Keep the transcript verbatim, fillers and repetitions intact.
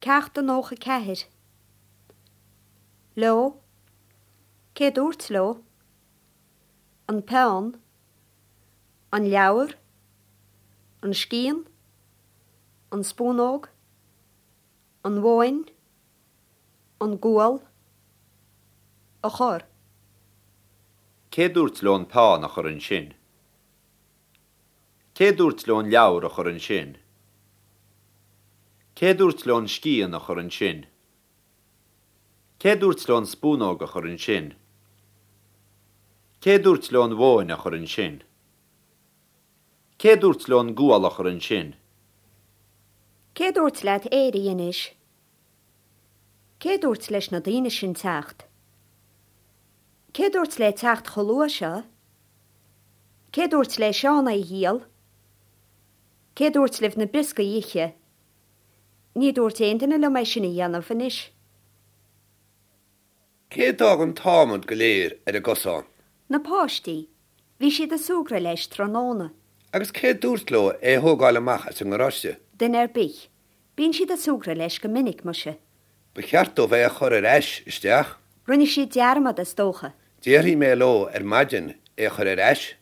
Ceacht a nócha ceathair. Leo. Cé dúirt leo? An peann. An leabhar. An scian. An spúnóg. An mhóin. An gual. A chur. Cé dúirt leo an peann a chur ansin? Cé dúirt leo an leabhar a chur ansin? Cé dúirt leo an scian a chur ansin? Cé dúirt leo an spúnóg a chur ansin? Cé dúirt leo an mhóin a chur ansin? Cé dúirt leo an gual a chur ansin? Cé dúirt leat éirí anois? Cé dúirt leis na daoine sin teacht? Cé dúirt léi teacht chomh luath seo? Cé dúirt le Seán é a dhíol? Cé dúirt libh na brioscaí a ithe? Ní dúirt aon duine liom é sin a dhéanamh anois. Cé d'fhág an t-adhmad go léir ar an gcosán? Na páistí, bhí siad ag súgradh leis tráthnóna. Agus cé dúirt leo é a thógáil amach as an ngaráiste? Duine ar bith. Bíonn siad ag súgradh leis go minic, muise. Ba cheart dóibh é a chur ar ais isteach. Rinne siad dearmad is dócha. Déarfaidh mé leo ar maidin é a chur ar ais.